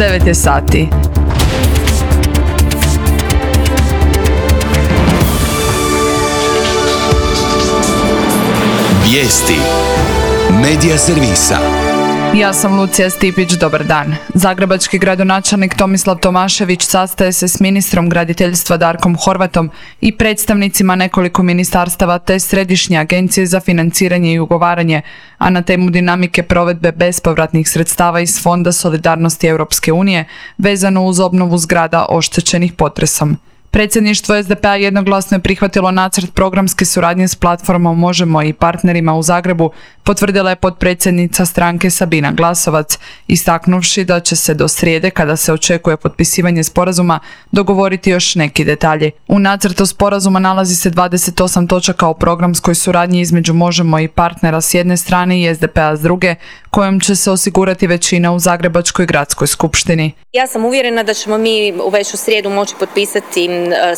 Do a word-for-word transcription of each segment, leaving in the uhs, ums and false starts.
devet je sati. Vijesti Medija servisa. Ja sam Lucija Stipić, dobar dan. Zagrebački gradonačelnik Tomislav Tomašević sastaje se s ministrom graditeljstva Darkom Horvatom i predstavnicima nekoliko ministarstava te Središnje agencije za financiranje i ugovaranje, a na temu dinamike provedbe bespovratnih sredstava iz Fonda solidarnosti Europske unije vezano uz obnovu zgrada oštećenih potresom. Predsjedništvo es de pe a jednoglasno je prihvatilo nacrt programske suradnje s platformom Možemo i partnerima u Zagrebu, potvrdila je potpredsjednica stranke Sabina Glasovac, istaknuvši da će se do srijede, kada se očekuje potpisivanje sporazuma, dogovoriti još neki detalji. U nacrtu sporazuma nalazi se dvadeset osam točaka o programskoj suradnji između Možemo i partnera s jedne strane i es de pe a s druge, kojom će se osigurati većina u Zagrebačkoj gradskoj skupštini. Ja sam uvjerena da ćemo mi već u srijedu moći potpisati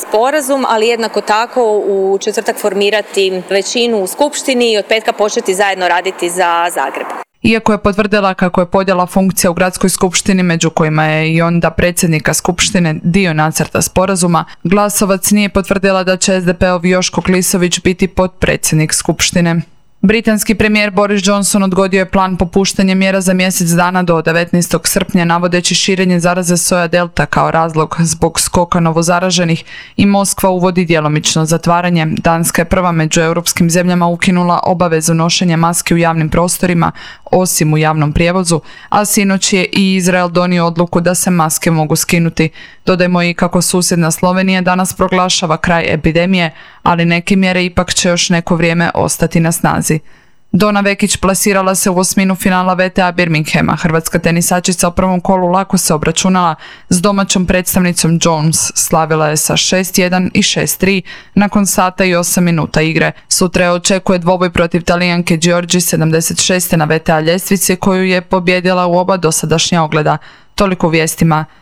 sporazum, ali jednako tako u četvrtak formirati većinu u skupštini i od petka početi zajedno raditi za Zagreb. Iako je potvrdila kako je podjela funkcija u gradskoj skupštini, među kojima je i onda predsjednika skupštine, dio nacrta sporazuma, Glasovac nije potvrdila da će es de pe ov Joško Klisović biti potpredsjednik skupštine. Britanski premijer Boris Johnson odgodio je plan popuštanja mjera za mjesec dana do devetnaestog srpnja, navodeći širenje zaraze soja delta kao razlog zbog skoka novozaraženih i Moskva uvodi djelomično zatvaranje. Danska je prva među europskim zemljama ukinula obavezu nošenja maski u javnim prostorima, osim u javnom prijevozu, a sinoć je i Izrael donio odluku da se maske mogu skinuti. Dodajmo i kako susjedna Slovenija danas proglašava kraj epidemije, ali neke mjere ipak će još neko vrijeme ostati na snazi. Dona Vekić plasirala se u osminu finala ve te a Birminghama. Hrvatska tenisačica u prvom kolu lako se obračunala s domaćom predstavnicom Jones. Slavila je sa šest jedan i šest tri nakon sata i osam minuta igre. Sutra je očekuje dvoboj protiv Talijanke Giorgi sedamdeset šest na ve te a ljestvici, koju je pobjedila u oba dosadašnja ogleda. Toliko u vijestima.